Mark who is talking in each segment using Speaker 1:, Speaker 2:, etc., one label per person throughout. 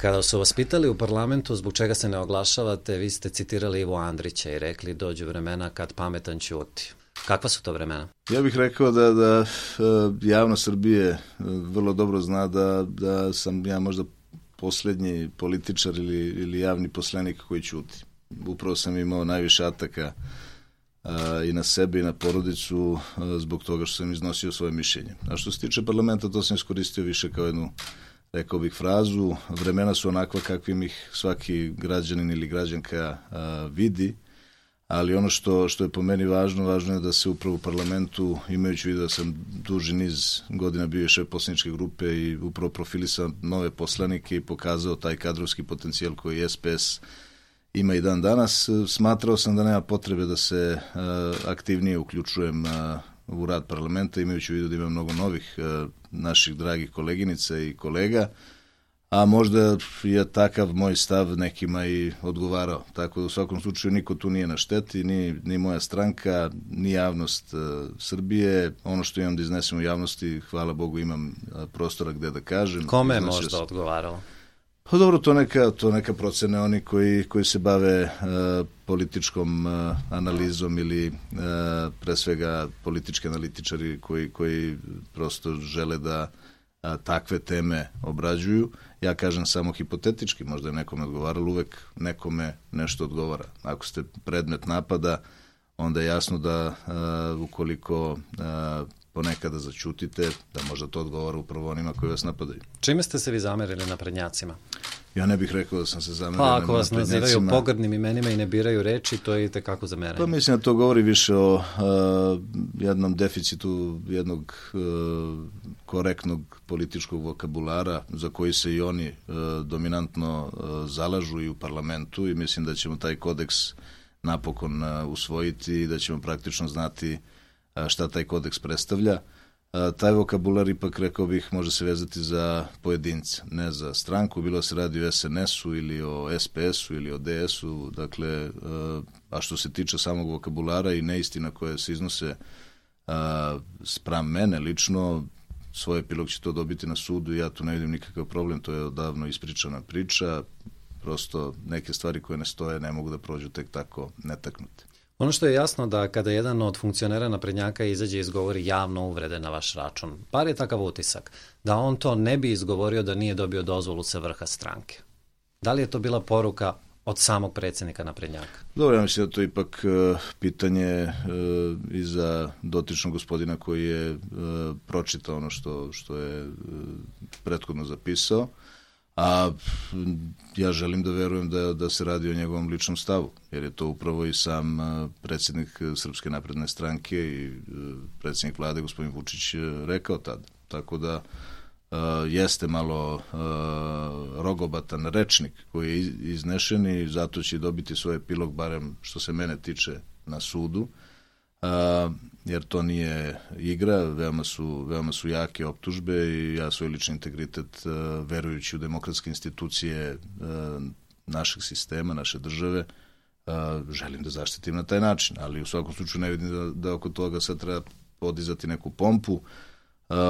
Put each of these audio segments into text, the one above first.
Speaker 1: Kada su vas pitali u parlamentu zbog čega se ne oglašavate, vi ste citirali Ivo Andrića i rekli dođu vremena kad pametan ćuti. Kakva su to vremena?
Speaker 2: Ja bih rekao da javnost Srbije vrlo dobro zna da sam ja možda posljednji političar ili javni poslanik koji ćuti. Upravo sam imao najviše ataka i na sebe i na porodicu zbog toga što sam iznosio svoje mišljenje. A što se tiče parlamenta, to sam iskoristio više kao jednu, rekao bih, frazu. Vremena su onakva kakvim ih svaki građanin ili građanka vidi, ali ono što je po meni važno je da se upravo u parlamentu, imajući vidio da sam duži niz godina bio šef poslaničke grupe i upravo profilisao nove poslanike i pokazao taj kadrovski potencijal koji SPS ima i dan danas, smatrao sam da nema potrebe da se aktivnije uključujem u rad parlamenta, imajući u vidu da ima mnogo novih naših dragih koleginica i kolega, a možda je takav moj stav nekima i odgovarao. Tako da u svakom slučaju niko tu nije na šteti, ni moja stranka, ni javnost Srbije. Ono što imam da iznesem u javnosti, hvala Bogu, imam prostora gde da kažem.
Speaker 1: Kome je možda odgovaralo?
Speaker 2: Pa dobro, to neka procene oni koji se bave političkom analizom ili pre svega politički analitičari koji prosto žele da takve teme obrađuju. Ja kažem samo hipotetički, možda je nekome odgovaralo, uvek nekome nešto odgovara. Ako ste predmet napada, onda je jasno da ukoliko ponekada zaćutite, da možda to odgovara upravo onima koji vas napadaju.
Speaker 1: Čime ste se vi zamerili naprednjacima?
Speaker 2: Ja ne bih rekao da sam se zamerio
Speaker 1: naprednjacima. Pa ako vas nazivaju pogrdnim imenima i ne biraju reči, to je i tekako zameranje.
Speaker 2: Pa mislim da to govori više o jednom deficitu jednog korektnog političkog vokabulara za koji se i oni dominantno zalažu i u parlamentu i mislim da ćemo taj kodeks napokon usvojiti i da ćemo praktično znati šta taj kodeks predstavlja. Taj vokabular ipak, rekao bih, može se vezati za pojedince, ne za stranku, bilo se radi o SNS-u ili o SPS-u ili o DS-u, dakle, a što se tiče samog vokabulara i neistina koje se iznose spram mene lično, svoj epilog će to dobiti na sudu i ja tu ne vidim nikakav problem, to je odavno ispričana priča, prosto neke stvari koje ne stoje ne mogu da prođu tek tako netaknute.
Speaker 1: Ono što je jasno da kada jedan od funkcionera naprednjaka izađe i izgovori javno uvrede na vaš račun, bar je takav utisak, da on to ne bi izgovorio da nije dobio dozvolu sa vrha stranke. Da li je to bila poruka od samog predsjednika naprednjaka?
Speaker 2: Dobro, ja mislim da to je ipak pitanje i za dotičnog gospodina koji je pročitao ono što je prethodno zapisao. A ja želim da verujem da se radi o njegovom ličnom stavu, jer je to upravo i sam predsjednik Srpske napredne stranke i predsjednik vlade, gospodin Vučić, rekao tad. Tako da jeste malo rogobatan rečnik koji je iznešen i zato će dobiti svoj epilog, barem što se mene tiče, na sudu, jer to nije igra, veoma su jake optužbe i ja svoj lični integritet, verujući u demokratske institucije našeg sistema, naše države, želim da zaštitim na taj način, ali u svakom slučaju ne vidim da oko toga sad treba podizati neku pompu.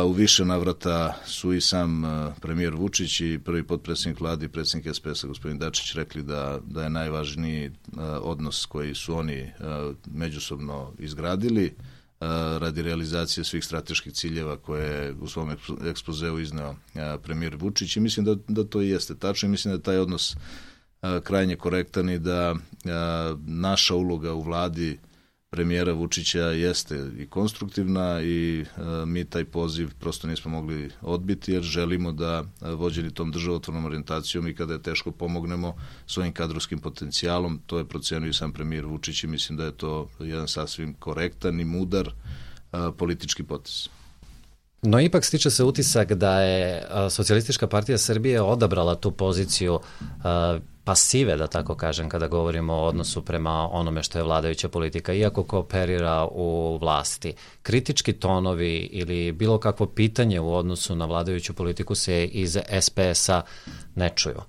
Speaker 2: U više navrata su i sam premijer Vučić i prvi potpredsjednik vlade i predsjednik SPS-a gospodin Dačić rekli da je najvažniji odnos koji su oni međusobno izgradili radi realizacije svih strateških ciljeva koje je u svom ekspozeu izneo premijer Vučić i mislim da to i jeste tačno i mislim da je taj odnos krajnje korektan i da naša uloga u vladi premijera Vučića jeste i konstruktivna i mi taj poziv prosto nismo mogli odbiti jer želimo da vođeni tom državotvornom orijentacijom i kada je teško pomognemo svojim kadrovskim potencijalom, to je procenio i sam premijer Vučić i mislim da je to jedan sasvim korektan i mudar politički potez.
Speaker 1: No ipak stiče se utisak da je Socijalistička partija Srbije odabrala tu poziciju pasive, da tako kažem, kada govorimo o odnosu prema onome što je vladajuća politika, iako kooperira u vlasti. Kritički tonovi ili bilo kakvo pitanje u odnosu na vladajuću politiku se iz SPS-a ne čuju.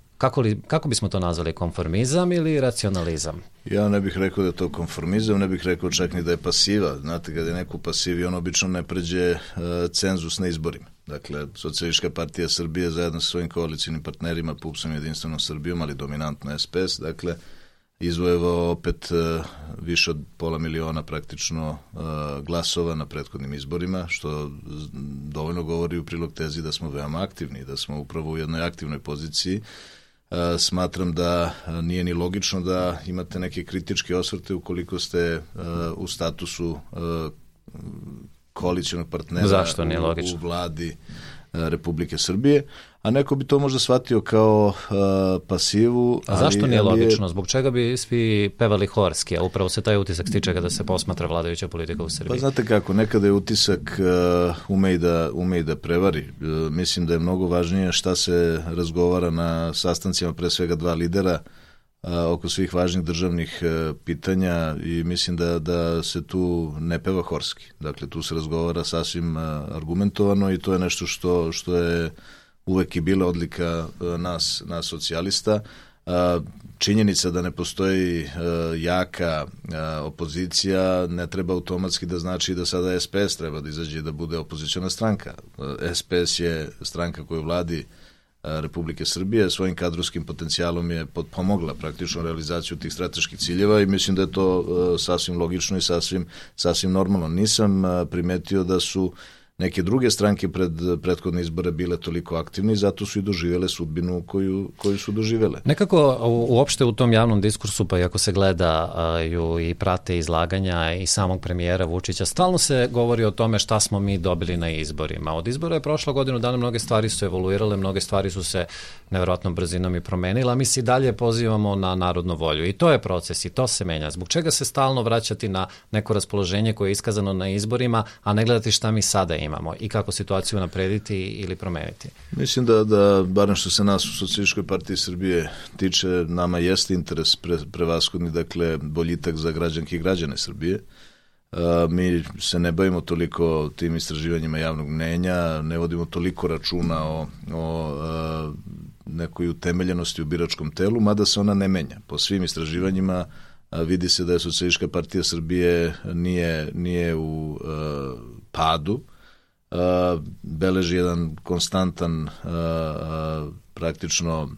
Speaker 1: Kako bismo to nazvali, konformizam ili racionalizam?
Speaker 2: Ja ne bih rekao da je to konformizam, ne bih rekao čak ni da je pasiva. Znate, kada je neko pasiv, on obično ne pređe cenzus na izborima. Dakle, Socijalistička partija Srbije zajedno sa svojim koalicijnim partnerima, PUPS-om i Jedinstvenom Srbijom, ali dominantno SPS, dakle, izvojevao opet više od 500.000 praktično glasova na prethodnim izborima, što dovoljno govori u prilog tezi da smo veoma aktivni, da smo upravo u jednoj aktivnoj poziciji. Smatram da nije ni logično da imate neke kritičke osvrte ukoliko ste u statusu koalicionog partnera u vladi Republike Srbije, a neko bi to možda shvatio kao pasivu.
Speaker 1: A zašto nije logično? Zbog čega bi svi pevali horski, a upravo se taj utisak stiče kada se posmatra vladajuća politika u Srbiji?
Speaker 2: Pa znate kako, nekada je utisak ume i da prevari. Mislim da je mnogo važnije šta se razgovara na sastancima pre svega dva lidera oko svih važnih državnih pitanja i mislim da se tu ne peva horski. Dakle, tu se razgovara sasvim argumentovano i to je nešto što je uvek i bila odlika nas socijalista. Činjenica da ne postoji jaka opozicija ne treba automatski da znači da sada SPS treba da izađe i da bude opoziciona stranka. SPS je stranka koju vladi Republike Srbije, svojim kadrovskim potencijalom je pomogla praktično realizaciju tih strateških ciljeva i mislim da je to sasvim logično i sasvim normalno. Nisam primetio da su neke druge stranke pred prethodne izbore bile toliko aktivne i zato su i doživjele sudbinu koju su doživjele.
Speaker 1: Nekako uopšte u tom javnom diskursu, pa i ako se gledaju i prate izlaganja i samog premijera Vučića, stalno se govori o tome šta smo mi dobili na izborima. Od izbora je prošlo godinu dana, mnoge stvari su evoluirale, mnoge stvari su se nevjerojatnom brzinom i promenile, a mi se i dalje pozivamo na narodnu volju. I to je proces i to se menja. Zbog čega se stalno vraćati na neko raspoloženje koje je iskazano na izborima, a ne gledati šta mi sada imamo i kako situaciju naprediti ili promeniti?
Speaker 2: Mislim da barem što se nas u Socijalističkoj partiji Srbije tiče, nama jeste interes prevashodni, dakle, boljitak za građanke i građane Srbije. Mi se ne bavimo toliko tim istraživanjima javnog mnenja, ne vodimo toliko računa o nekoj utemeljenosti u biračkom telu, mada se ona ne menja. Po svim istraživanjima vidi se da je Socijalistička partija Srbije nije u padu, beleži jedan konstantan praktično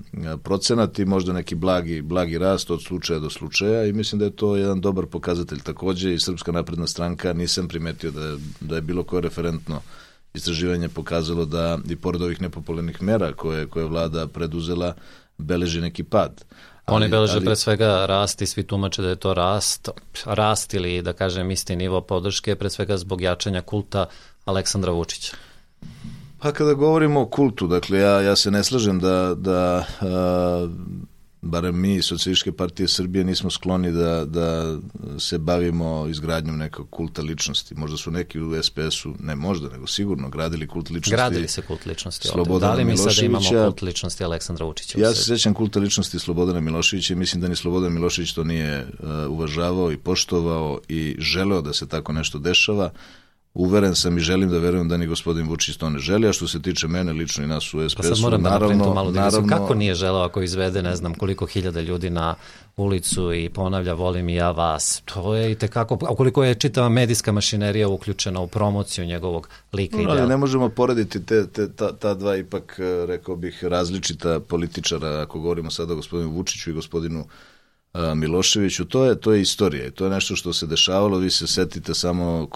Speaker 2: procenat i možda neki blagi rast od slučaja do slučaja i mislim da je to jedan dobar pokazatelj. Takođe i Srpska napredna stranka, nisam primetio da je bilo koje referentno istraživanje pokazalo da i pored ovih nepopularnih mera koje vlada preduzela, beleži neki pad.
Speaker 1: Oni beleže pre svega rast i svi tumače da je to rast ili da kažem isti nivo podrške, pre svega zbog jačanja kulta Aleksandra Vučića.
Speaker 2: Pa kada govorimo o kultu, dakle ja se ne slažem da barem mi, Socijalističke partije Srbije, nismo skloni da se bavimo izgradnjom nekog kulta ličnosti. Možda su neki u SPS-u, ne možda, nego sigurno, gradili kult ličnosti.
Speaker 1: Gradili se kult ličnosti
Speaker 2: Slobodana
Speaker 1: Da li mi
Speaker 2: Miloševića.
Speaker 1: sada imamo kult ličnosti Aleksandra Vučića?
Speaker 2: Ja se sećam kulta ličnosti Slobodana Miloševića i mislim da ni Slobodan Milošević to nije uvažavao i poštovao i želeo da se tako nešto dešava. Uveren sam i želim da verujem da ni gospodin Vučić to ne želi, a što se tiče mene lično i nas u SPS-u,
Speaker 1: pa sad moram da napravim tu malu digresiju. Kako nije želeo ako izvede ne znam koliko hiljada ljudi na ulicu i ponavlja volim i ja vas? To je i tekako, a koliko je čitava medijska mašinerija uključena u promociju njegovog lika i dela.
Speaker 2: Ali ne možemo porediti ta dva ipak, rekao bih, različita političara, ako govorimo sada o gospodinu Vučiću i gospodinu Miloševiću, to je istorija i to je nešto što se dešavalo. Vi se setite samo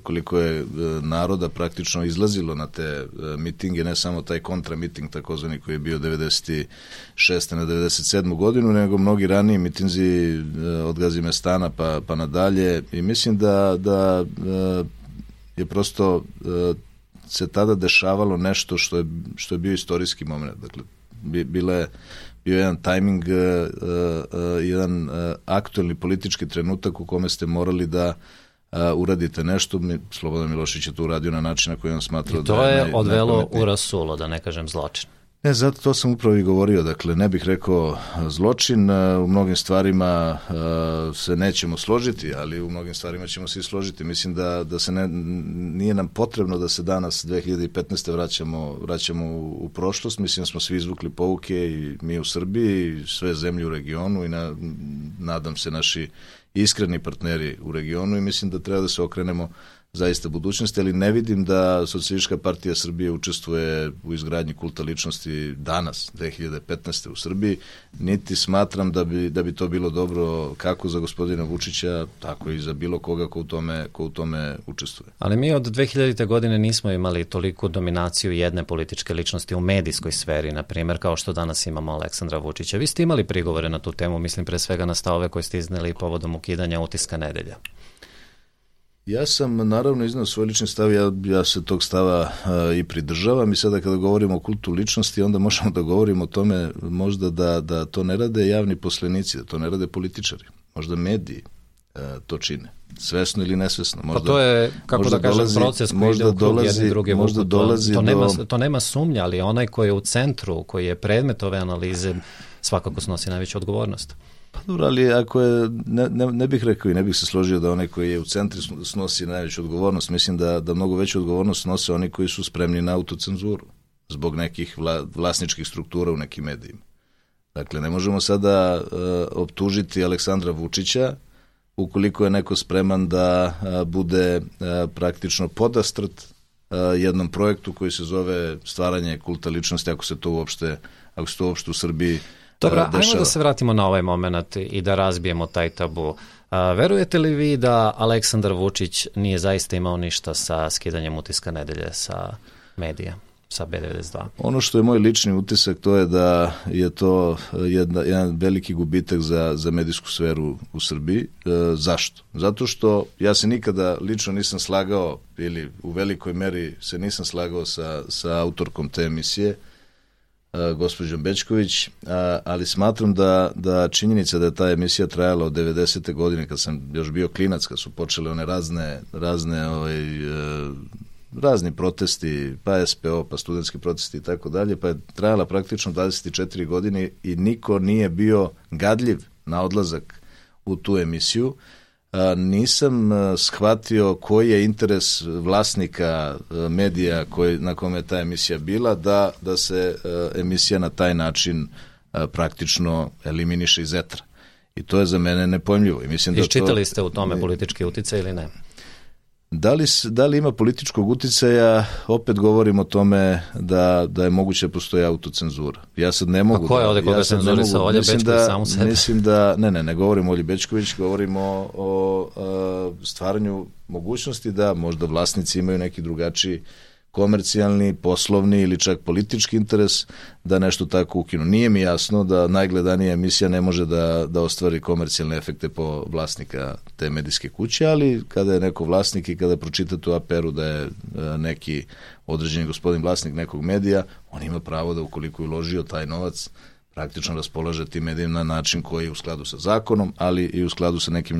Speaker 2: koliko je naroda praktično izlazilo na te mitinge, ne samo taj kontramiting takozvani koji je bio 96. na 97. godinu, nego mnogi raniji mitinzi od Gazimestana pa nadalje i mislim da je prosto se tada dešavalo nešto što je bio istorijski moment. Dakle, bio jedan tajming, jedan aktuelni politički trenutak u kome ste morali da uradite nešto. Slobodan Milošević je to uradio na način na koji on smatrao da je
Speaker 1: to je odvelo u rasulo, da ne kažem zločin.
Speaker 2: Ne, zato to sam upravo i govorio, dakle ne bih rekao zločin, u mnogim stvarima se nećemo složiti, ali u mnogim stvarima ćemo se i složiti. Mislim da se nije nam potrebno da se danas 2015. vraćamo u prošlost, mislim da smo svi izvukli pouke i mi u Srbiji i sve zemlje u regionu i nadam se naši iskreni partneri u regionu i mislim da treba da se okrenemo zaista budućnosti, ali ne vidim da Socijalistička partija Srbije učestvuje u izgradnji kulta ličnosti danas, 2015. u Srbiji, niti smatram da bi to bilo dobro kako za gospodina Vučića, tako i za bilo koga ko u tome učestvuje.
Speaker 1: Ali mi od 2000. godine nismo imali toliku dominaciju jedne političke ličnosti u medijskoj sferi, na primjer, kao što danas imamo Aleksandra Vučića. Vi ste imali prigovore na tu temu, mislim pre svega na stavove koje ste izneli povodom ukidanja Utiska nedelja.
Speaker 2: Ja sam naravno iznao svoj lični stav, ja se tog stava i pridržavam i sada kada govorimo o kultu ličnosti, onda možemo da govorimo o tome možda da to ne rade javni poslenici, da to ne rade političari, možda mediji to čine, svesno ili nesvesno.
Speaker 1: Možda, pa to je, kako da kažem, proces koji ide u krug jedni drugi vuku. To nema sumnja, ali onaj koji je u centru, koji je predmet ove analize, svakako snosi najveću odgovornost.
Speaker 2: Pa dobro, ali ako je, ne bih rekao i ne bih se složio da onaj koji je u centru snosi najveću odgovornost. Mislim da mnogo veću odgovornost snose oni koji su spremni na autocenzuru zbog nekih vlasničkih struktura u nekim medijima. Dakle, ne možemo sada optužiti Aleksandra Vučića ukoliko je neko spreman da bude praktično podastrt jednom projektu koji se zove stvaranje kulta ličnosti, ako se to uopšte u Srbiji
Speaker 1: Dobro, ajmo da se vratimo na ovaj moment i da razbijemo taj tabu. Verujete li vi da Aleksandar Vučić nije zaista imao ništa sa skidanjem Utiska nedelje sa medija, sa B92?
Speaker 2: Ono što je moj lični utisak, to je da je to jedan veliki gubitak za medijsku sferu u Srbiji. Zašto? Zato što ja se nikada lično nisam slagao, ili u velikoj meri se nisam slagao sa autorkom te emisije, gospođom Bećković, ali smatram da činjenica da je ta emisija trajala od 90. godine, kad sam još bio klinac, kad su počele one razni protesti, pa SPO, pa studentski protesti i tako dalje, pa je trajala praktično 24 godine i niko nije bio gadljiv na odlazak u tu emisiju. Nisam shvatio koji je interes vlasnika medija na kome je ta emisija bila da se emisija na taj način praktično eliminiše iz etra. I to je za mene nepojmljivo.
Speaker 1: Iščitali ste u tome politički uticaj ili ne?
Speaker 2: Da li ima političkog uticaja, opet govorim o tome da je moguće da postoji autocenzura. Ja sad ne mogu...
Speaker 1: A ko je ovde koga cenzurisao? Olja Bećković samu sebe?
Speaker 2: Mislim da... Ne govorim o Olji Bećković, govorim o stvaranju mogućnosti da možda vlasnici imaju neki drugačiji komercijalni, poslovni ili čak politički interes da nešto tako ukinu. Nije mi jasno da najgledanija emisija ne može da ostvari komercijalne efekte po vlasnika te medijske kuće, ali kada je neko vlasnik i kada pročitate u APR-u da je neki određeni gospodin vlasnik nekog medija, on ima pravo da ukoliko je uložio taj novac praktično raspolaže tim medijima na način koji je u skladu sa zakonom, ali i u skladu sa nekom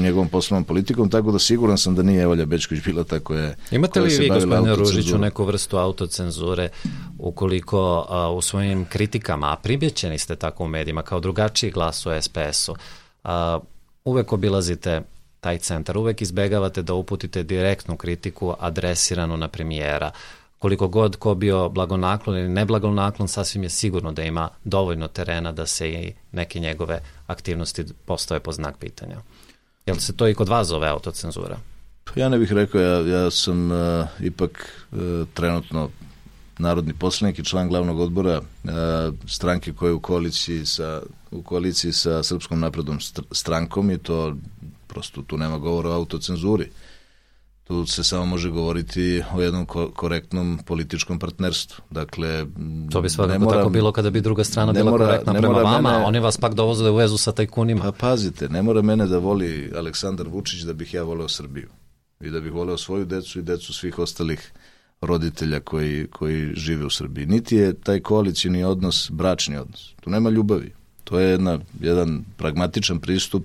Speaker 2: njegovom poslovnom politikom, tako da siguran sam da nije Olja Bećković bila ta koja se bavila autocenzurom.
Speaker 1: Imate li vi, gospodine Ružiću, neku vrstu autocenzure ukoliko u svojim kritikama, a primjećeni ste tako u medijima kao drugačiji glas u SPS-u, uvek obilazite taj centar, uvek izbegavate da uputite direktnu kritiku adresiranu na premijera? Koliko god ko bio blagonaklon ili neblagonaklon, sasvim je sigurno da ima dovoljno terena da se i neke njegove aktivnosti postave po znak pitanja. Jel se to i kod vas zove autocenzura?
Speaker 2: Ja ne bih rekao, ja sam ipak trenutno narodni poslanik i član glavnog odbora stranke koja je u koaliciji sa Srpskom naprednom strankom i to prosto tu nema govora o autocenzuri. Tu se samo može govoriti o jednom korektnom političkom partnerstvu. Dakle,
Speaker 1: to bi svakako tako bilo kada bi druga strana bila korektna prema vama, oni vas pak dovoze u vezu sa tajkunima.
Speaker 2: Pa pazite, ne mora mene da voli Aleksandar Vučić da bih ja voleo Srbiju i da bih voleo svoju decu i decu svih ostalih roditelja koji žive u Srbiji. Niti je taj koalicijni odnos bračni odnos. Tu nema ljubavi. To je jedan pragmatičan pristup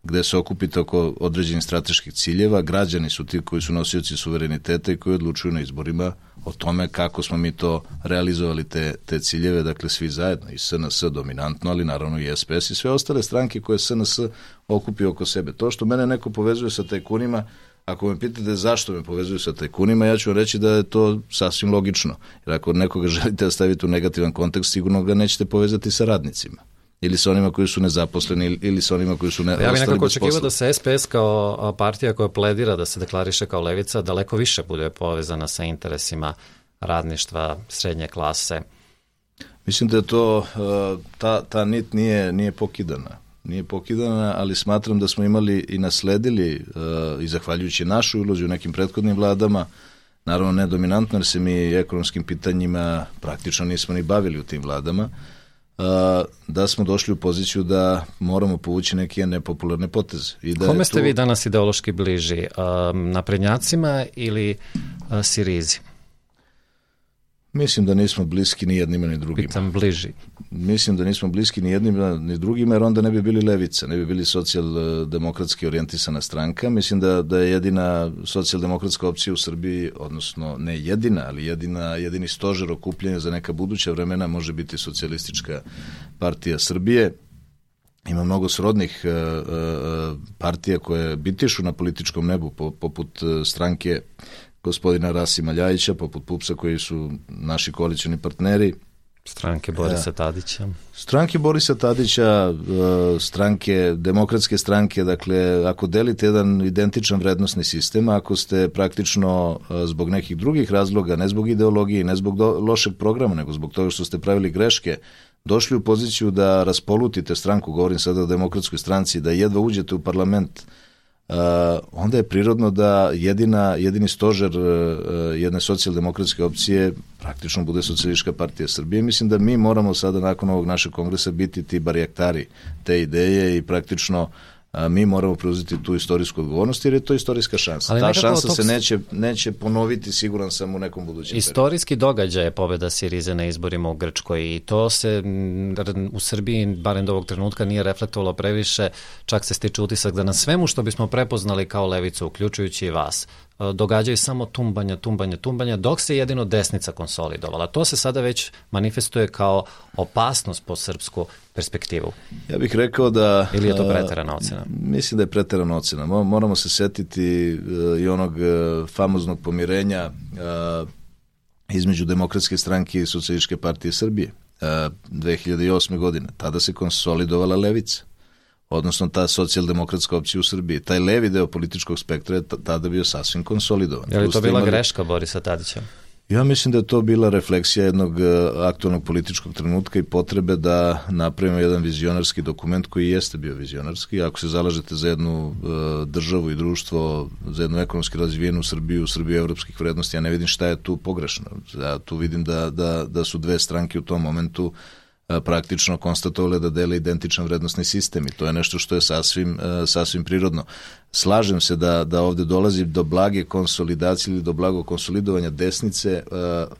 Speaker 2: gde se okupite oko određenih strateških ciljeva, građani su ti koji su nosioci suvereniteta i koji odlučuju na izborima o tome kako smo mi to realizovali te ciljeve, dakle svi zajedno, i SNS dominantno, ali naravno i SPS i sve ostale stranke koje SNS okupi oko sebe. To što mene neko povezuje sa tajkunima, ako me pitate zašto me povezuju sa tajkunima, ja ću vam reći da je to sasvim logično. Jer ako nekoga želite da stavite u negativan kontekst, sigurno ga nećete povezati sa radnicima. ili sa onima koji su nezaposleni, ili sa onima koji su ostali bez posla.
Speaker 1: Ja bih nekako očekivao da se SPS kao partija koja pledira da se deklariše kao levica daleko više bude povezana sa interesima radništva, srednje klase.
Speaker 2: Mislim da je to, ta nit nije pokidana. Nije pokidana, ali smatram da smo imali i nasledili, i zahvaljujući našoj ulozi u nekim prethodnim vladama, naravno ne dominantno, jer se mi ekonomskim pitanjima praktično nismo ni bavili u tim vladama, da smo došli u poziciju da moramo povući neke nepopularne poteze.
Speaker 1: Kome ste vi danas ideološki bliži? Naprednjacima ili Sirizi?
Speaker 2: Mislim da nismo bliski ni jednima ni drugima.
Speaker 1: Pitam bliži.
Speaker 2: Mislim da nismo bliski ni jednima ni drugima, jer onda ne bi bili levica, ne bi bili socijaldemokratski orijentisana stranka. Mislim da je jedina socijaldemokratska opcija u Srbiji, odnosno ne jedina, ali jedini stožer okupljanja za neka buduća vremena može biti Socijalistička partija Srbije. Ima mnogo srodnih partija koje bitišu na političkom nebu, poput stranke gospodina Rasima Ljajića, poput PUPS-a koji su naši koalicioni partneri.
Speaker 1: Stranke Borisa Tadića.
Speaker 2: Stranke Borisa Tadića, demokratske stranke, dakle, ako delite jedan identičan vrednostni sistem, ako ste praktično zbog nekih drugih razloga, ne zbog ideologije, ne zbog lošeg programa, nego zbog toga što ste pravili greške, došli u poziciju da raspolutite stranku, govorim sada o demokratskoj stranci, da jedva uđete u parlament, onda je prirodno da jedini stožer jedne socijaldemokratske opcije praktično bude Socijalistička partija Srbije. Mislim da mi moramo sada nakon ovog našeg kongresa biti ti barjaktari te ideje i praktično mi moramo preuzeti tu istorijsku odgovornost jer je to istorijska šansa. Ta šansa se neće ponoviti, siguran sam, u nekom budućem
Speaker 1: istorijski događaj je pobjeda Sirize na izborima u Grčkoj i to se u Srbiji, barem do ovog trenutka, nije reflektovalo previše, čak se stiče utisak da na svemu što bismo prepoznali kao levicu, uključujući i vas, događaju samo tumbanja, dok se jedino desnica konsolidovala. To se sada već manifestuje kao opasnost po srpsku perspektivu.
Speaker 2: Ja bih rekao da...
Speaker 1: Ili je to preterana ocena?
Speaker 2: Mislim da je preterana ocena. Moramo se setiti i onog famoznog pomirenja između Demokratske stranke i Socijalističke partije Srbije 2008. godine. Tada se konsolidovala levica, odnosno ta socijaldemokratska opcija u Srbiji. Taj levi deo političkog spektra je tada bio sasvim konsolidovan.
Speaker 1: Je li to bila greška Borisa Tadića?
Speaker 2: Ja mislim da je to bila refleksija jednog aktualnog političkog trenutka i potrebe da napravimo jedan vizionarski dokument koji jeste bio vizionarski. Ako se zalažete za jednu državu i društvo, za jednu ekonomski razvijenu Srbiju evropskih vrednosti, ja ne vidim šta je tu pogrešno. Ja tu vidim da su dve stranke u tom momentu praktično konstatovale da dele identičan vrednostni sistem i to je nešto što je sasvim prirodno. Slažem se da ovde dolazi do blage konsolidacije ili do blagog konsolidovanja desnice,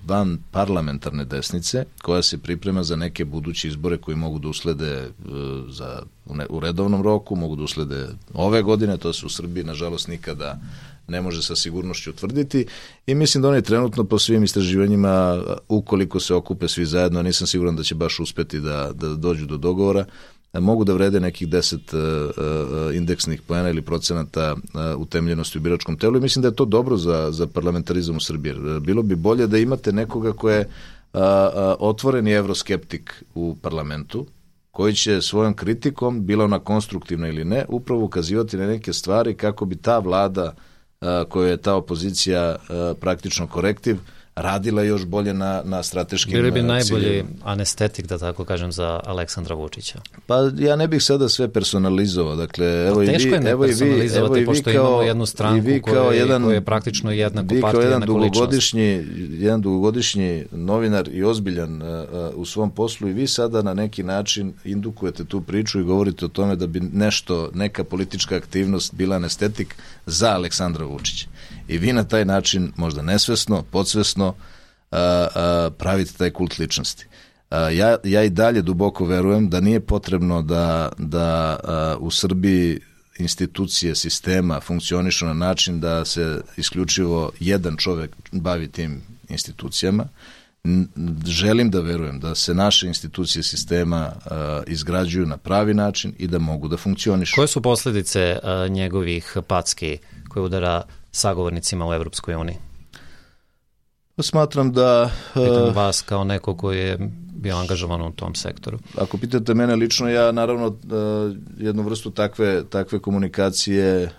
Speaker 2: van parlamentarne desnice, koja se priprema za neke buduće izbore koji mogu da uslede u redovnom roku, mogu da uslede ove godine, to se u Srbiji nažalost nikada ne može sa sigurnošću utvrditi i mislim da oni trenutno po svim istraživanjima, ukoliko se okupe svi zajedno, nisam siguran da će baš uspeti da dođu do dogovora, mogu da vrede nekih 10 indeksnih poena ili procenata utemljenosti u biračkom telu i mislim da je to dobro za parlamentarizam u Srbiji. Bilo bi bolje da imate nekoga ko je otvoreni evroskeptik u parlamentu, koji će svojom kritikom, bila ona konstruktivna ili ne, upravo ukazivati na neke stvari kako bi ta vlada koja je ta opozicija praktično korektiv, radila još bolje na strateškim ciljima.
Speaker 1: Bili bi najbolji anestetik, da tako kažem, za Aleksandra Vučića.
Speaker 2: Pa ja ne bih sada sve personalizovao. Dakle,
Speaker 1: teško je ne personalizovati, pošto imamo jednu stranku koja je praktično jednako partija, jednako ličnost.
Speaker 2: Jedan dugogodišnji novinar i ozbiljan u svom poslu i vi sada na neki način indukujete tu priču i govorite o tome da bi neka politička aktivnost bila anestetik za Aleksandra Vučića. I vi na taj način, možda nesvesno, podsvesno, pravite taj kult ličnosti. Ja i dalje duboko verujem da nije potrebno da u Srbiji institucije sistema funkcionišu na način da se isključivo jedan čovek bavi tim institucijama. Želim da verujem da se naše institucije sistema izgrađuju na pravi način i da mogu da funkcionišu.
Speaker 1: Koje su posljedice njegovih packi koje udara sagovornicima u Evropskoj uniji?
Speaker 2: Smatram da...
Speaker 1: Pitam vas kao neko koji je bio angažovan u tom sektoru.
Speaker 2: Ako pitate mene lično, ja naravno jednu vrstu takve komunikacije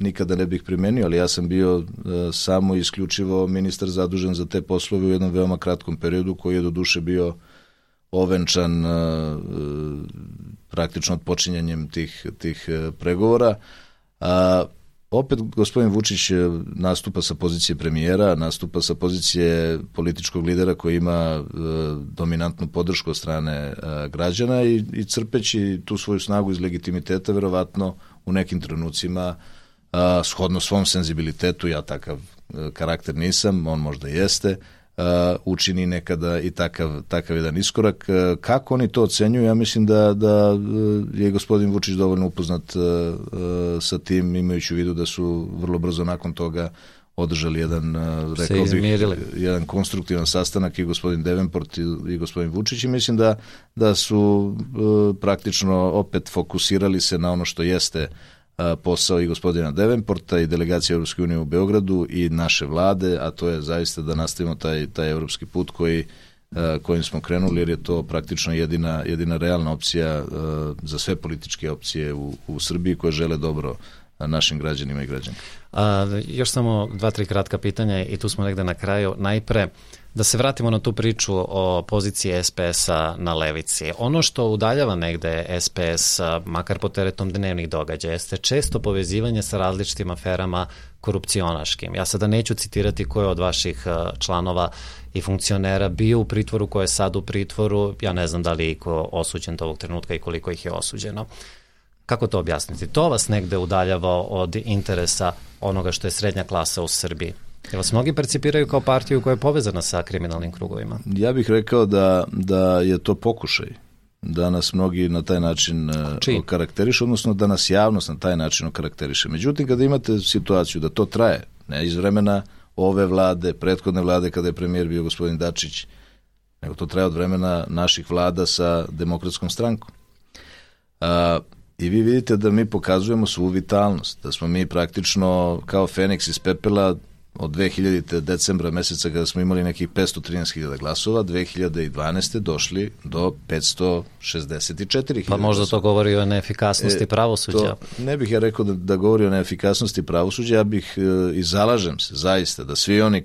Speaker 2: nikada ne bih primenio, ali ja sam bio samo isključivo ministar zadužen za te poslove u jednom veoma kratkom periodu koji je do duše bio ovenčan praktično odpočinjanjem tih pregovora. Opet gospodin Vučić nastupa sa pozicije premijera, nastupa sa pozicije političkog lidera koji ima dominantnu podršku od strane građana i crpeći tu svoju snagu iz legitimiteta verovatno u nekim trenucima shodno svom senzibilitetu, ja takav karakter nisam, on možda jeste, učini nekada i takav jedan iskorak. Kako oni to ocenjuju? Ja mislim da je gospodin Vučić dovoljno upoznat sa tim, imajući u vidu da su vrlo brzo nakon toga održali jedan konstruktivan sastanak i gospodin Davenport i gospodin Vučić i mislim da su praktično opet fokusirali se na ono što jeste posao i gospodina Davenporta i delegacije Evropske unije u Beogradu i naše vlade, a to je zaista da nastavimo taj evropski put kojim smo krenuli, jer je to praktično jedina realna opcija za sve političke opcije u Srbiji koje žele dobro našim građanima i građankama.
Speaker 1: Još samo 2-3 kratka pitanja i tu smo negde na kraju. Najpre, da se vratimo na tu priču o poziciji SPS-a na levici. Ono što udaljava negde SPS, makar po teretom dnevnih događaja, jeste često povezivanje sa različitim aferama korupcionaškim. Ja sada neću citirati ko je od vaših članova i funkcionera bio u pritvoru, ko je sad u pritvoru. Ja ne znam da li je iko osuđen do ovog trenutka i koliko ih je osuđeno. Kako to objasniti? To vas negde udaljava od interesa onoga što je srednja klasa u Srbiji. Jer vas mnogi percipiraju kao partiju koja je povezana sa kriminalnim krugovima.
Speaker 2: Ja bih rekao da je to pokušaj. Da nas mnogi na taj način okarakteriše, odnosno da nas javnost na taj način okarakteriše. Međutim, kada imate situaciju da to traje, ne iz vremena ove vlade, prethodne vlade kada je premijer bio gospodin Dačić, nego to traje od vremena naših vlada sa Demokratskom strankom. I vi vidite da mi pokazujemo svu vitalnost, da smo mi praktično kao Feniks iz pepela od 2000. decembra meseca kada smo imali nekih 513.000 glasova, 2012. došli do 564.000.
Speaker 1: Pa možda to govori o neefikasnosti pravosuđa.
Speaker 2: Ne bih ja rekao da govori o neefikasnosti pravosuđa, ja bih i zalažem se zaista da svi oni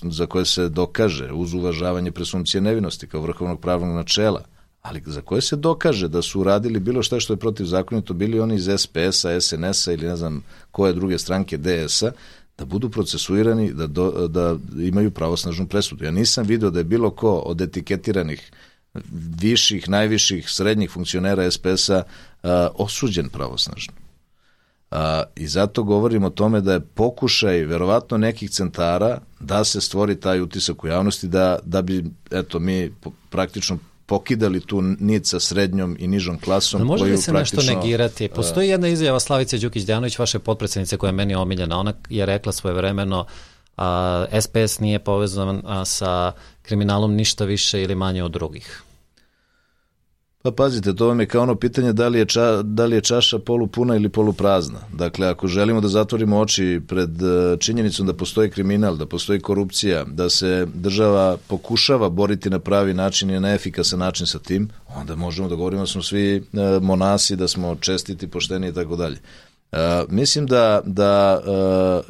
Speaker 2: za koje se dokaže uz uvažavanje presumpcije nevinosti kao vrhovnog pravnog načela, ali za koje se dokaže da su uradili bilo šta što je protivzakonito, bili oni iz SPS-a, SNS-a ili ne znam koje druge stranke DS-a, da budu procesuirani, da imaju pravosnažnu presudu. Ja nisam video da je bilo ko od etiketiranih viših, najviših, srednjih funkcionera SPS-a osuđen pravosnažno. I zato govorim o tome da je pokušaj verovatno nekih centara da se stvori taj utisak u javnosti da bi mi praktično pokidali tu nit sa srednjom i nižom klasom.
Speaker 1: Može li se nešto negirati? Postoji jedna izjava Slavice Đukić-Dejanović, vaše potpredsednice, koja je meni omiljena. Ona je rekla svojevremeno SPS nije povezan sa kriminalom ništa više ili manje od drugih.
Speaker 2: Pa pazite, to vam je kao ono pitanje da li je čaša polupuna ili poluprazna. Dakle, ako želimo da zatvorimo oči pred činjenicom da postoji kriminal, da postoji korupcija, da se država pokušava boriti na pravi način i na efikasan način sa tim, onda možemo da govorimo da smo svi monasi, da smo čestiti, pošteni i tako dalje. Mislim da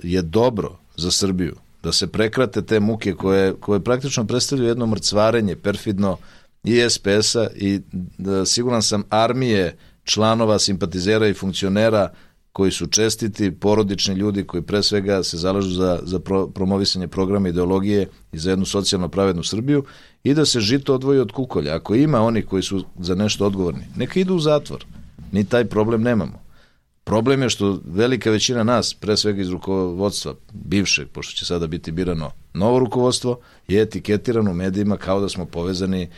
Speaker 2: je dobro za Srbiju da se prekrate te muke koje praktično predstavljaju jedno mrcvarenje, perfidno, i SPS-a i siguran sam armije članova, simpatizera i funkcionera koji su čestiti, porodični ljudi koji pre svega se zalažu za promovisanje programa ideologije i za jednu socijalno pravednu Srbiju i da se žito odvoji od kukolja. Ako ima oni koji su za nešto odgovorni, neka idu u zatvor. Mi taj problem nemamo. Problem je što velika većina nas, pre svega iz rukovodstva bivšeg, pošto će sada biti birano novo rukovodstvo, je etiketirano u medijima kao da smo povezani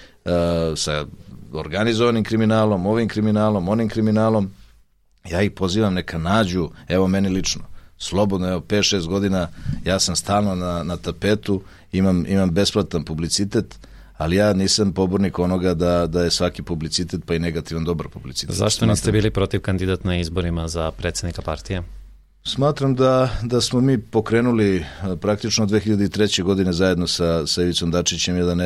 Speaker 2: sa organizovanim kriminalom, ovim kriminalom, onim kriminalom. Ja ih pozivam neka nađu, evo meni lično, slobodno, evo 5-6 godina, ja sam stalno na tapetu, imam besplatan publicitet, ali ja nisam pobornik onoga da je svaki publicitet pa i negativan dobar publicitet.
Speaker 1: Zašto niste bili protiv kandidat na izborima za predsjednika partije?
Speaker 2: Smatram da smo mi pokrenuli praktično 2003. godine zajedno sa Ivicom Dačićem jedan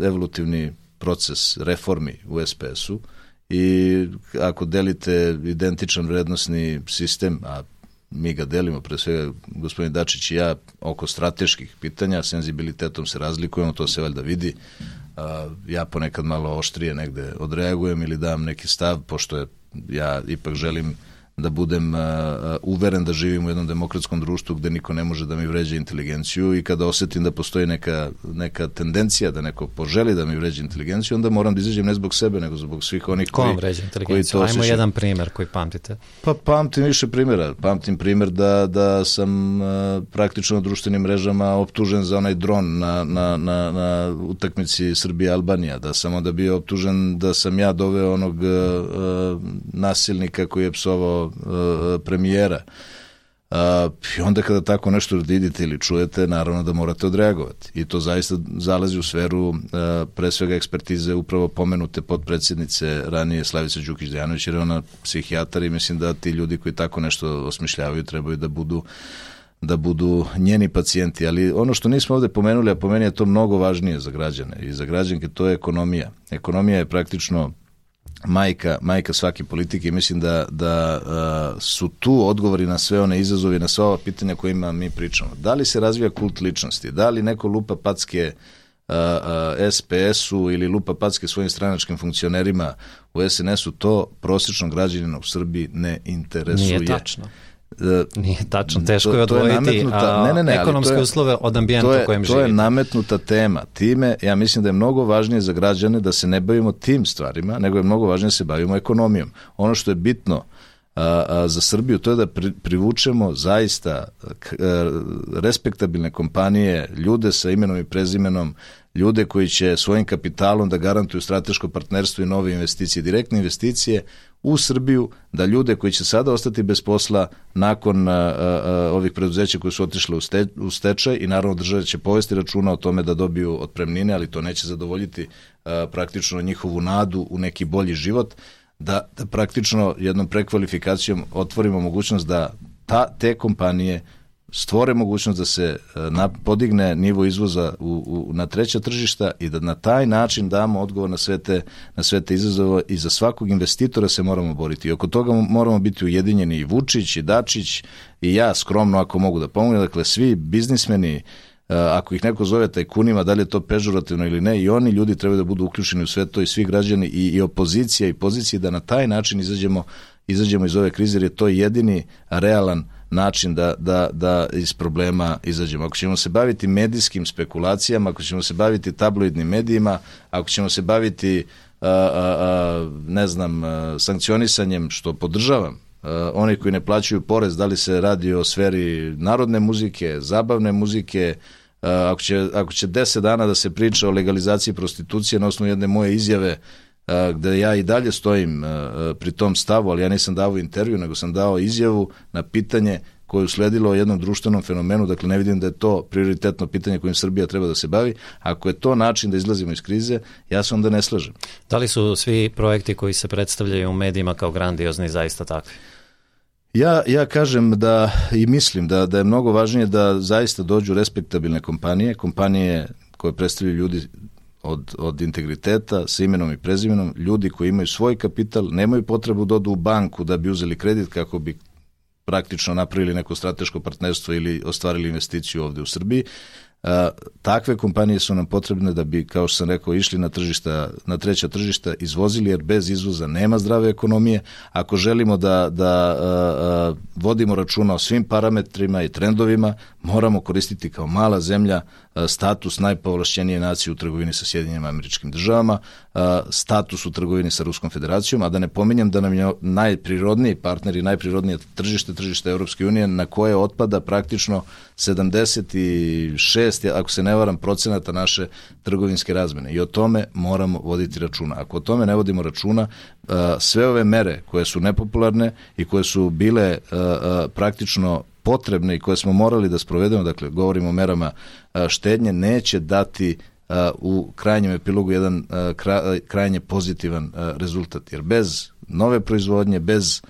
Speaker 2: evolutivni proces reformi u SPS-u i ako delite identičan vrednosni sistem, a mi ga delimo, pre svega gospodin Dačić i ja, oko strateških pitanja, senzibilitetom se razlikujemo, to se valjda vidi. Ja ponekad malo oštrije negde odreagujem ili dam neki stav, pošto ja ipak želim da budem uveren da živim u jednom demokratskom društvu gde niko ne može da mi vređa inteligenciju i kada osetim da postoji neka tendencija da neko poželi da mi vređa inteligenciju, onda moram da izađem ne zbog sebe, nego zbog svih onih koji to osjećaju. Ko vam vređa inteligenciju?
Speaker 1: Ajmo jedan primer koji pamtite.
Speaker 2: Pa pamtim više primjera. Pamtim primer da sam praktično na društvenim mrežama optužen za onaj dron na utakmici Srbija-Albanija, da sam onda bio optužen da sam ja doveo onog nasilnika koji je psovao premijera. I onda kada tako nešto vidite ili čujete, naravno da morate odreagovati. I to zaista zalazi u sferu pre svega ekspertize upravo pomenute potpredsjednice ranije Slavice Đukić-Dejanović, jer je ona psihijatar i mislim da ti ljudi koji tako nešto osmišljavaju trebaju da budu njeni pacijenti. Ali ono što nismo ovde pomenuli, a po meni je to mnogo važnije za građane i za građanke, to je ekonomija. Ekonomija je praktično majka svake politike i mislim da su tu odgovori na sve one izazove, na sva ova pitanja kojima mi pričamo. Da li se razvija kult ličnosti? Da li neko lupa packe SPS-u ili lupa packe svojim stranačkim funkcionerima u SNS-u? To prosječnog građanina u Srbiji ne interesuje.
Speaker 1: Nije tačno. Nije tačno, teško je odvojiti ekonomske uslove od ambijenta u kojem živite.
Speaker 2: To je nametnuta tema. Time, ja mislim da je mnogo važnije za građane da se ne bavimo tim stvarima, nego je mnogo važnije da se bavimo ekonomijom. Ono što je bitno za Srbiju, to je da privučemo zaista respektabilne kompanije, ljude sa imenom i prezimenom, ljude koji će svojim kapitalom da garantuju strateško partnerstvo i nove investicije, direktne investicije u Srbiju, da ljude koji će sada ostati bez posla nakon ovih preduzeća koji su otišle u stečaj i naravno država će povesti računa o tome da dobiju otpremnine, ali to neće zadovoljiti praktično njihovu nadu u neki bolji život, da praktično jednom prekvalifikacijom otvorimo mogućnost da te kompanije stvore mogućnost da se podigne nivo izvoza na treća tržišta i da na taj način damo odgovor na sve te izazove i za svakog investitora se moramo boriti. I oko toga moramo biti ujedinjeni i Vučić i Dačić i ja skromno ako mogu da pomognem. Dakle, svi biznismeni, ako ih neko zove tajkunima, da li je to pežorativno ili ne, i oni ljudi trebaju da budu uključeni u sve to i svi građani i opozicija i pozicije da na taj način izađemo iz ove krize, jer je to jedini realan način da iz problema izađemo. Ako ćemo se baviti medijskim spekulacijama, ako ćemo se baviti tabloidnim medijima, ako ćemo se baviti sankcionisanjem, što podržavam, oni koji ne plaćaju porez, da li se radi o sferi narodne muzike, zabavne muzike, ako će 10 dana da se priča o legalizaciji prostitucije na osnovu jedne moje izjave, gde ja i dalje stojim pri tom stavu, ali ja nisam dao intervju, nego sam dao izjavu na pitanje koje je usledilo o jednom društvenom fenomenu, dakle ne vidim da je to prioritetno pitanje kojim Srbija treba da se bavi. Ako je to način da izlazimo iz krize, ja se onda ne slažem.
Speaker 1: Da li su svi projekti koji se predstavljaju u medijima kao grandiozni zaista takvi?
Speaker 2: Ja kažem da i mislim da je mnogo važnije da zaista dođu respektabilne kompanije koje predstavljaju ljudi od integriteta, sa imenom i prezimenom, ljudi koji imaju svoj kapital, nemaju potrebu da odu u banku da bi uzeli kredit kako bi praktično napravili neko strateško partnerstvo ili ostvarili investiciju ovde u Srbiji. Takve kompanije su nam potrebne da bi, kao što sam rekao, išli na treća tržišta, izvozili, jer bez izvoza nema zdrave ekonomije. Ako želimo da vodimo računa o svim parametrima i trendovima, moramo koristiti kao mala zemlja status najpovlašćenije nacije u trgovini sa Sjedinjenim Američkim Državama, status u trgovini sa Ruskom Federacijom, a da ne pominjem da nam je najprirodniji partner i najprirodnije tržište Evropske unije, na koje otpada praktično 76, ako se ne varam, procenata naše trgovinske razmene. I o tome moramo voditi računa. Ako o tome ne vodimo računa, sve ove mere koje su nepopularne i koje su bile praktično potrebne i koje smo morali da sprovedemo, dakle govorimo o merama štednje, neće dati u krajnjem epilogu jedan krajnje pozitivan rezultat, jer bez nove proizvodnje, bez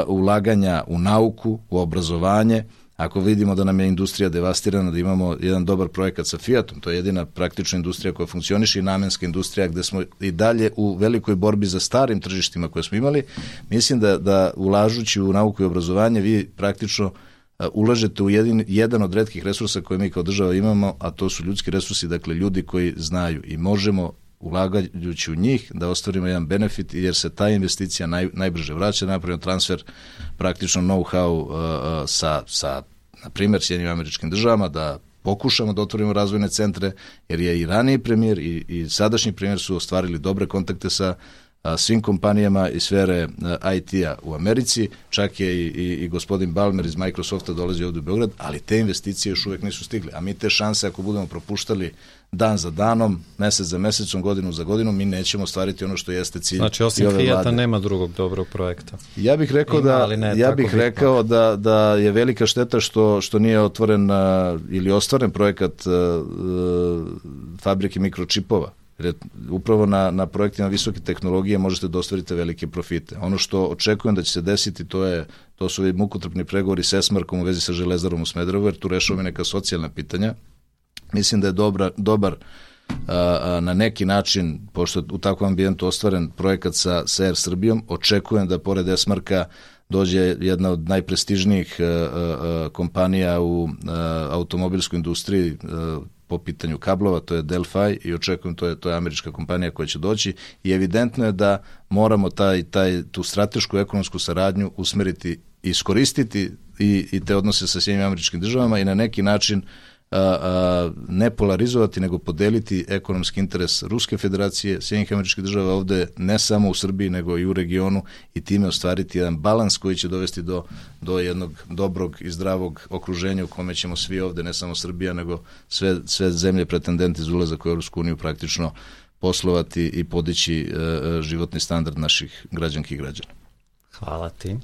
Speaker 2: ulaganja u nauku, u obrazovanje. Ako vidimo da nam je industrija devastirana, da imamo jedan dobar projekat sa Fiatom, to je jedina praktična industrija koja funkcioniše i namenska industrija gde smo i dalje u velikoj borbi za starim tržištima koje smo imali, mislim da ulažući u nauku i obrazovanje vi praktično ulažete u jedan od retkih resursa koje mi kao država imamo, a to su ljudski resursi, dakle ljudi koji znaju i možemo ulagajući u njih da ostvarimo jedan benefit jer se ta investicija najbrže vraća, napravimo transfer praktično know-how sa na primjer Sjedinjenim Američkim Državama, da pokušamo da otvorimo razvojne centre, jer je i raniji premijer i sadašnji premijer su ostvarili dobre kontakte sa svim kompanijama iz sfere IT-a u Americi, čak je i gospodin Balmer iz Microsofta dolazi ovdje u Beograd, ali te investicije još uvek nisu stigle, a mi te šanse ako budemo propuštali dan za danom, mesec za mesecom, godinu za godinom, mi nećemo ostvariti ono što jeste cilj.
Speaker 1: Znači, osim Fijata nema drugog dobrog projekta.
Speaker 2: Ja bih rekao da je velika šteta što nije otvoren ili ostvaren projekat fabrike mikročipova. Jer upravo na projektima visoke tehnologije možete da ostvarite velike profite. Ono što očekujem da će se desiti, to su mukotrpni pregovori s Esmarkom u vezi sa Železarom u Smederevu, jer tu rešavamo neka socijalna pitanja. Mislim da je dobar na neki način, pošto u takvom ambijentu ostvaren projekat sa Air Srbijom, očekujem da pored Esmarka dođe jedna od najprestižnijih kompanija u automobilskoj industriji po pitanju kablova, to je Delphi, i očekujem, to je američka kompanija koja će doći, i evidentno je da moramo tu stratešku ekonomsku saradnju usmeriti, iskoristiti i te odnose sa Sjedinjenim Američkim Državama i na neki način ne polarizovati, nego podeliti ekonomski interes Ruske federacije, Sjedinjenih Američkih Država ovde, ne samo u Srbiji, nego i u regionu, i time ostvariti jedan balans koji će dovesti do jednog dobrog i zdravog okruženja u kome ćemo svi ovde, ne samo Srbija, nego sve zemlje pretendenti za ulazak u Europsku uniju praktično poslovati i podići životni standard naših građanki i građana.
Speaker 1: Hvala ti.